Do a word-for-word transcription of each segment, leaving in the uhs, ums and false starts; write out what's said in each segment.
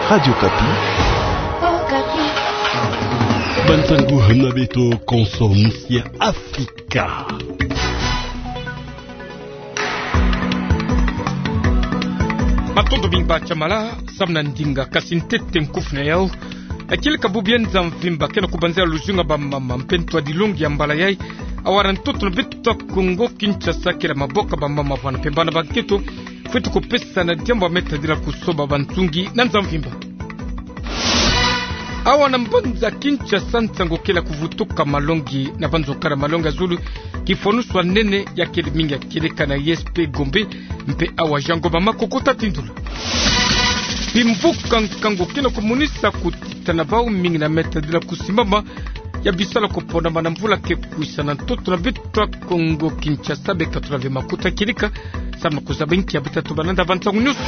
Radio Okapi. Bansangu hana beto, konso musia Afrika. Matondo mingi ba tia mala, samu na ndinga kasi ntete nkufi na yau. Akili ka bubu ya nza mvimba ke na kubanzila luzingu ya bamama mpe ntwadilongi ya mbala yai. Awa na ntoto na beto ya Kongo Kinshasa, kele maboka bamama vwana mpe bana ba nkento fweti kupesa na diambu ya me tadila kusoba bansungi na nza mvimba. Awa na mbanza Kinshasa, nsangu kele kuvutuka malongi na banzo kala malongi ya zulu, kifwanusu ya nene ya kele mingi ya kieleka na I S P Gombe, mpe awa Jean Ngoma Makoko ta tindula. Bimvuka nkangu ke na kumonisa kutitana bau mingi na me tadila kusimbama ya bisalu ya kuponama na mvula ke kwisa na ntoto na beto ya Kongo Kinshasa. Beka tula ve makuta kieleka, samu na kuzaba inki ya beta tubana na bansangu nyonso.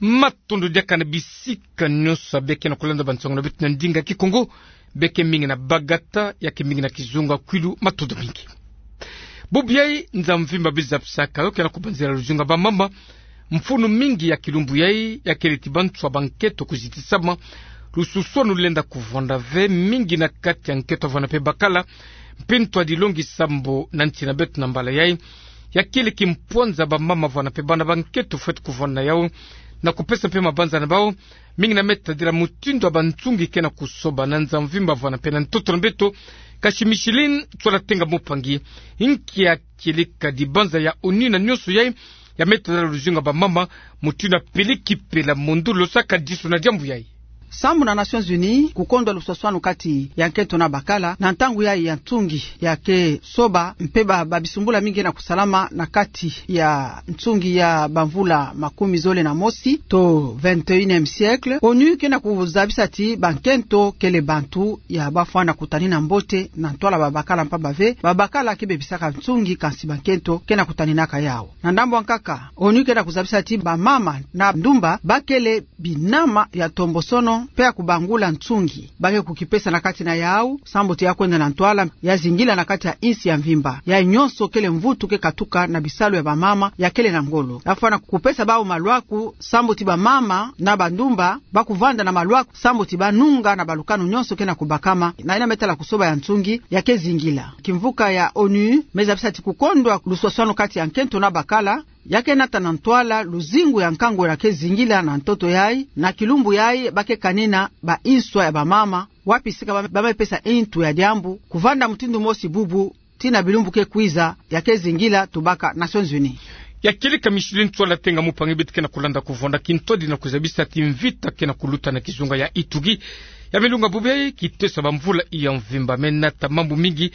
Matondo diaka na bisika nyonso ya beke na kulanda bansangu na beto na ndinga Kikongo. Beke mingi na bagata, ya ke mingi na kizunga kwilu, matondo mingi. Bubu yai nza mvimba bi zabisaka yo ke na kubanzila luzingu ya bamama. Mfunu mingi ya kilumbu yai ya kele ti banswa ba nkento kuzitisama. Lususwanu lenda kuvwanda ve mingi na kati ya nkento vwana mpe bakala, mpe ntwadilongi sambu na nsi na beto na mbala yai ya kele kimpwanza bamama vwana mpe bana ba nkento fweti kuvwanda na yau, na kupesa mpe mabanza na bau mingi na me tadila mutindu ya bansungi ke na kusoba na nza mvimba vwana mpe na ntoto na beto. Kasi Micheline Ntsoila Tenga Mupangi, inki ya kieleka dibanza ya ONU na nyonso yai ya me tadila luzingu ya bamama, mutindu ya peleki pela mundu losaka diso na diambu yai. Sambu na Nations Unies kukondwa lususwanu kati ya nkento na bakala na ntangu yai ya nsungi ya ke soba, mpe ba, babisumbula mingi na kusalama na kati ya nsungi ya bamvula makumi zole na mosi to vingt et unième siècle. ONU ke na kuzabisa ti bankento kele bantu ya bafwana kutanina mbote na ntwala babakala, mpamba ve babakala ke bebisaka nsungi, kansi bankento ke na kutaninaka yau. Na ndambu ya nkaka, ONU ke na kuzabisa ti bamama na ndumba ba kele binama ya ntombosono mpe ya kubangula nsungi ba ke kukipesa na kati na yau, sambu ti ya kwenda na ntwala ya zingila na kati ya insi ya mvimba. Yai nyonso kele mvutu ke katuka na bisalu ya bamama ya kele na ngolo. Bafwana kupesa bau malwaku, sambu ti bamama na bandumba ba kuvanda na malwaku, sambu ti ba nunga na balukanu nyonso ke na kubakama na yina me tala kusoba ya nsungi ya ke zingila. Kimvuka ya ONU me zabisa ti kukondwa lususwanu kati ya nkento na bakala ya ke nata na ntwala luzingu ya nkangu ya ke zingila na ntoto yai, na kilumbu yai ba ke kanina ba inswa ya bamama, wapi sika ba, ba me pesa intu ya diambu kuvanda mutindu mosi bubu, tii na bilumbu ke kwiza, ya ke zingila tubaka Nations Unies. Ya kieleka Micheline Ntsoila Tenga Mupangi. Beto ke na kulanda kuvwanda kintwadi na kuzabisa ti mvita ke na kuluta na kizunga ya Ituri ya me lunga bubu yai, kiteso ya bamvula ya mvimba me nata mambu mingi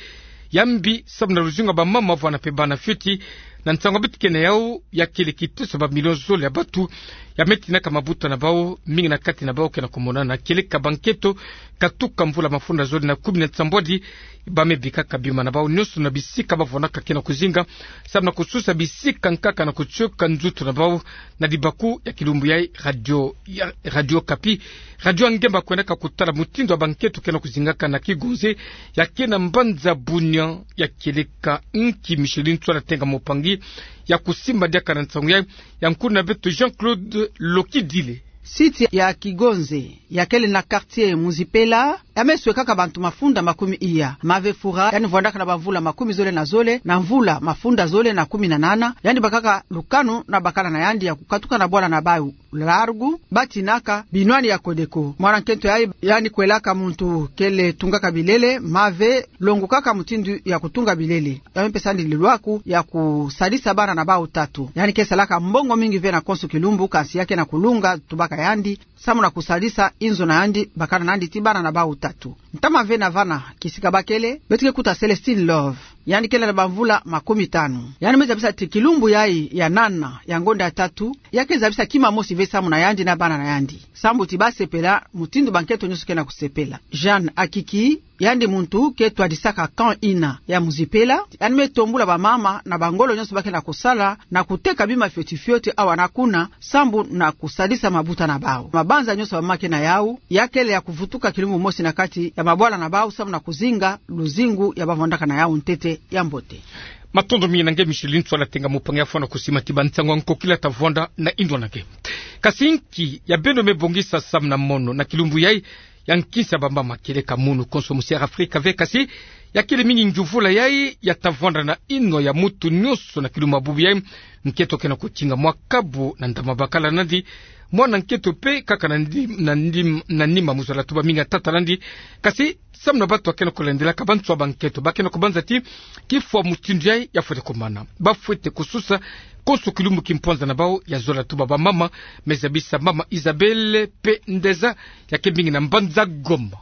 ya mbi, sambu na luzingu ya bamama vwana mpe bana fioti. Na nsangu beto ke na yau, ya kele kiteso ya bamilio zole ya bantu ya me tinaka mabuta na bau, mingi na kati na bau ke na kumonana kieleka bankento katuka mvula mafunda zole na kumi na nsambwadi, ba me bikaka bima na bau nyonso na bisika ba vwanaka ke na kuzinga, sambu na kususa bisika nkaka na kutioka nzutu na bau. Na dibaku ya kilumbu yai, radio ya, Radio Okapi, radio ya ngemba kwendaka kutala mutindu ya bankento ke na kuzingaka na Kigonze ya ke na mbanza Bunia. Ya kieleka nki Micheline Ntsoila Tenga Mupangi ya kusimba diaka na nsangu yai, ya nkuna beto Jean-Claude Lokidile. Site ya Kigonze ya kele na quartier Muzipela, ya me swekaka bantu mafunda makumi iya. Mave Fura, yandi vwandaka na bamvula makumi zole na zole, na mvula mafunda zole na kumi na nana, yandi bakaka lukanu na bakala na yandi ya kukatuka na bwala na bau Largu, ba tinaka binwani ya Codeco. Mwana nkento yai, yandi kwelaka muntu kele tungaka bilele, mave longokaka mutindu ya kutunga bilele. Ya me pesa yandi lilwaku ya kusadisa bana na bau tatu. Yandi ke salaka mbongo mingi ve na konso kilumbu, kansi ya ke na kulunga tubaka yandi, samu na kusadisa inzo na yandi, bakala na yandi tii bana na bau tatu. Ntama ve na vana kisika ba kele, beto ke kuta Celestine Love. Yandi kele na bamvula makumi tanu. Yandi me zabisa ti kilumbu yai ya nana ya ngonda ya tatu, ya ke zabisa kima mosi ve samu na yandi na bana na yandi, sambu ti ba sepela mutindu bankento nyonso ke na kusepela. Jeanne Akiki, yandi muntu ke twadisaka camp ina ya Muzipela. Yandi me tombula bamama na bangolo nyonso ba ke na kusala na kuteka bima fioti fioti awa na kuna, sambu na kusadisa mabuta na bau. Mabanza nyonso bamama ke na yau, ya kele ya kuvutuka kilumbu mosi na kati ya mabwala na bau, samu na kuzinga luzingu ya ba vwandaka na yau ntete ya mbote. Matondo mingi na nge Micheline Tswala Tenga Mupangi ya fwana kusimati ba nsangu ya nkokila ta vwanda na inwa na nge. Kasi nki ya beno me bongisa samu na mono na kilumbu yayi ya nkinsa ba mama, kieleka munu konso musi ya Afrika ve, kasi ya kele mingi ngiuvula yayi ya ta vwanda na inwa ya mutu nionso na kilumbu ya bubu yayi. Nkento kena kutinga mwa kabu na ndama bakala nandi, mwana nkento pe kaka na ndim-, na ndim-, na nima mu zola tuba mingi ya tata nandi. Kasi samu na bantu ya kena kulendelaka ba ntswa ba nkento, ba kena kubanza ti kifwa mutindu yayi ya fwete kumana, ba fwete kususa konso kilumbu kimpwanza na bawu ya zola tuba ba mama. Me zabisa mama Isabelle pe Ndeza, ya ke mingi na mbanza Goma.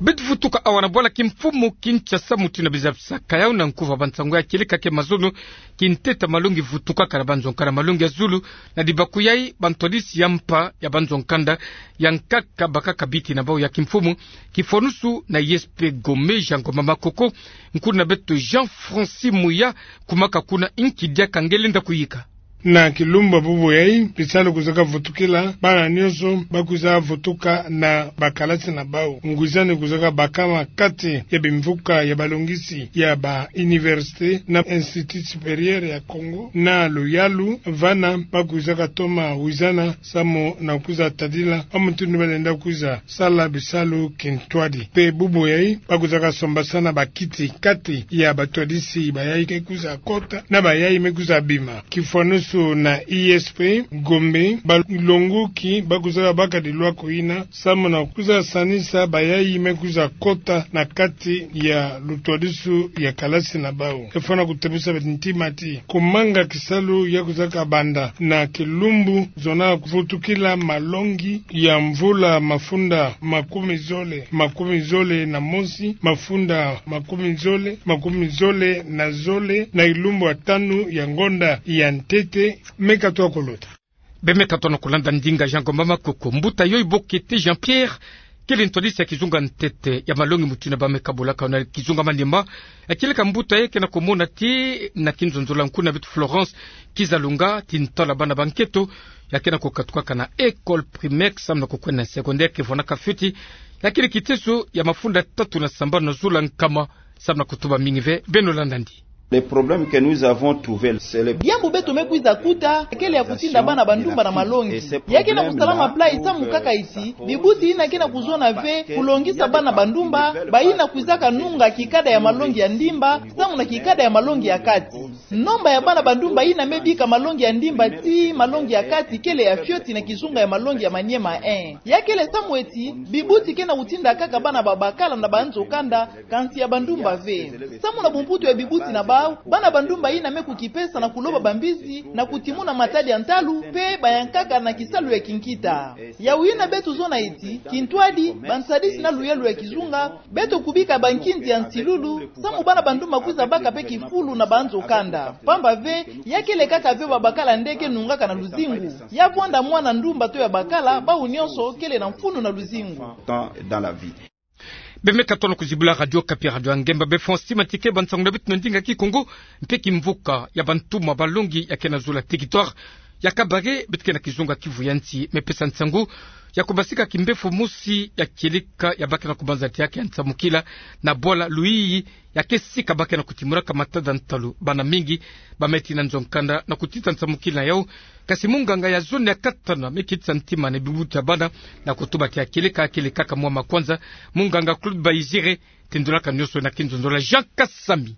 Beto vutuka awa na bwala kimfumu Kinshasa, mutindu na bizabisaka yawu na nkuva ba nsangu ya kieleka ke mazono, kinteta malongi vutukaka na ba nzo-nkanda malongi ya zulu. Na dibaku yayi, ba ntwadisi ya mpa ya ba nzo-nkanda ya nkaka bakaka biti na bawu ya kimfumu, kifwanusu na I S P Gombe, Jean Ngomba Makoko, nkuna beto Jean Francis Muya, kumaka kuna. Nki diaka nge lenda kuyika? Na kilumbu ya bubu yayi, bisalu kwizaka vutukila, bana nionso ba kwiza vutuka na ba kalasi na bawu. Ngwizani kwizaka bakama kati ya bimvuka ya balongisi ya ba université na Institut Supérieur ya Congo na luyalu, vana ba kwizaka toma wizana samu na kwiza tadila mutindu ba lenda kwiza sala bisalu kintwadi. Pe bubu yayi, ba kwizaka sombasana ba kiti kati ya ba ntwadisi bayayi ke kwiza kota na bayayi me kwiza bima. Kifwanusu na I S P Gombe, balongoki ba kwizaka baka dilwaku yina samu na kwiza sanisa bayayi me kwiza kota na kati ya lutwadisu ya kalasi na bawu. E fwana kutebusa beto ntima ti kumanga kisalu ya kwizaka banda na kilumbu zona vutukila malongi ya mvula mafunda makumi zole, makumi zole na mosi, mafunda makumi zole, makumi zole na zole, na kilumbu ya tanu ya ngonda ya ntete. Meka twa kuluta. Be meka twa na kulanda ndinga Jean Ngomba Makoko. Mbuta yoyo Bokete Jean-Pierre, kele ntwadisi ya kizunga ntete ya malongi mutindu na ba me kabulaka na kizunga manima. Ya kieleka mbuta yayi kena kumona ti na kinzonzola, nkuna beto Florence Kizalunga, ti ntwala bana ba nkento, ya kena kukatukaka na école primaire samu na kukwenda na secondaire, ke vwanaka fioti. Ya kele kiteso ya mafunda tatu na sambanu na zola nkama samu na kutuba mingi ve. Beno landa ndi. Le problème que nous avons trouvé, c'est le... Diambu beto me kwiza kuta kele ya kutinda bana ba ndumba na malongi. Ya kena kusalama plat samu kaka iti bibuti yina kena kuzona ve kulongisa bana ba ndumba, bayina kwizaka nunga kikada ya malongi ya ndimba samu na kikada ya malongi ya kati. Nomba ya bana ba ndumba yina me bika malongi ya ndimba tii malongi ya kati kele ya fioti na kizunga ya malongi ya Maniema un. Ya kele samu eti bibuti kena kutinda kaka bana ba bakala na ba nzo-kanda, kansi ya ba ndumba ve. Samu na bumputu ya bibuti na bawu, bana ba ndumba yina me kukipesa na kuloba bambisi, na kutimuna matadi ya ntalu, pe bayankaka na kisalu ya kinkita. Yawu yina beto zona eti, kintwadi, bantwadisi na luyalu ya kizunga, beto kubika bankinzi ya nsilulu, samu bana ba ndumba kwiza baka pe kifulu na ba nzo-kanda. Pamba ve, ya kele kaka ve ba bakala nde ke nungaka na luzingu. Ya vwanda mwana ndumba to ya bakala, bawu nionso kele na mfunu na luzingu. Be meka twa na kuzibula Radio Okapi, radio ya ngemba. Be fwa sima ti ke ba nsangu na beto na ndinga Kikongo, mpe kimvuka ya bantumwa balongi ya kena zola territoire ya Kabare, beto ke na kizunga Kivu ya nsi, me pesa nsangu ya kubasika kimbevo mosi ya kieleka ya ba kena kubanza ti ya ke ya nsamukila na bwala Luyiyi, ya ke sika ba kena kutimuraka matada ntalu. Bana mingi ba me tii na nzo-kanda na kutita nsamukila yawu. Kasi munganga ya zone ya katana me kitisa ntima na bibuti ya bana na kutuba ti ya kieleka kele kaka mwa makwanza. Munganga Claude Bayizire, tendulaka nionso na kinzonzola Jean Kasami.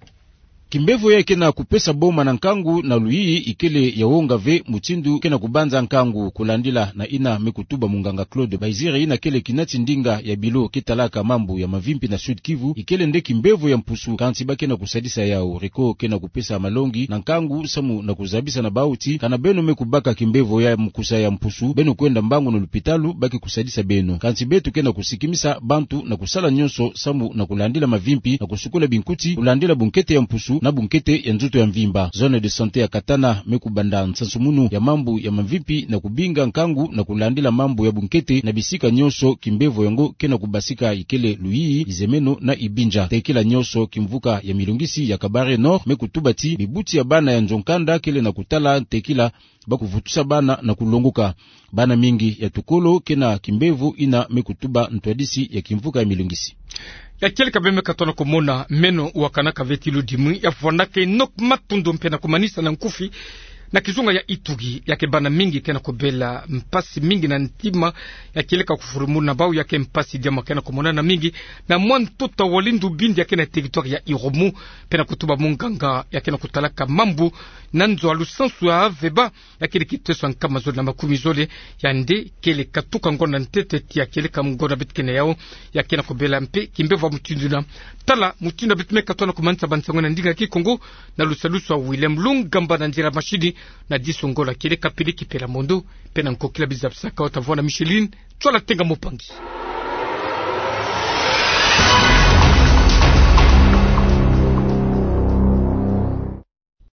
Kimbevo ya kena kupesa boma na nkangu na Luyiyi ikele ya wonga ve mutindu kena kubanza nkangu, kulandila na yina me kutuba munganga Claude Bayizire, yina kele kinati ndinga ya bilo ke talaka mambu ya mavimpi na Sud-Kivu. Ikele nde kimbevo ya mpusu, kansi ba kena kusadisa yawu. Reko kena kupesa malongi na nkangu samu na kuzabisa na bawu ti kana beno me kubaka kimbevo ya mukusa ya mpusu, beno kwenda mbangu na lupitalu, ba ke kusadisa beno. Kansi beto kena kusikimisa bantu na kusala nionso samu na kulandila mavimpi, na kusukula binkuti, kulandila bunkete ya mpusu na bunkete ya nzoto ya mvimba. Zone de santé ya Katana me kubanda nsansumunu ya mambu ya mavimpi na kubinga nkangu na kulandila mambu ya bunkete na bisika nionso kimbevo yango kena kubasika, ikele Luyiyi, Izemeno na Ibinja. Tekila nionso kimvuka ya milongisi ya Kabare Nord me kutuba ti bibuti ya bana ya nzo-kanda kele na kutala tekila ba kuvutusa bana na kulongoka. Bana mingi ya tukolo kena kimbevo yina me kutuba ntwadisi ya kimvuka ya milongisi. Ya kieleka beme katona komona meno wakanaka veti ludimwi ya fwanaka inok matundo mpe na komanisa na nkufi na kizunga ya Ituri, ya kebana mingi kena kobela mpasi mingi na ntima. Ya kieleka kofurumuna bau ya ke mpasi diama kena komonana mingi na mwa ntuta wa lindu bindi ya kena territoire ya Iromu, mpe na kotuba munganga ya kena kotalaka mambu na nzo a lusansu ya Aveba, ya kele kiteso ya nkama zole na makumi zole. Yandi kele katuka ngonda ntete tia kieleka ngonda beto kena yau. Ya kena kobela mpe kimbevo mutindu ina. Tala mutindu beto me katona komanisa bansango na ndinga ya Kikongo, na lusalusu ya William Lungamba na nzila mashini. Na diso ngolo kieleka pili kipela mondo, mpe na nkokila bizapisaka wata vwa na Micheline Tswala Tenga Mopangi.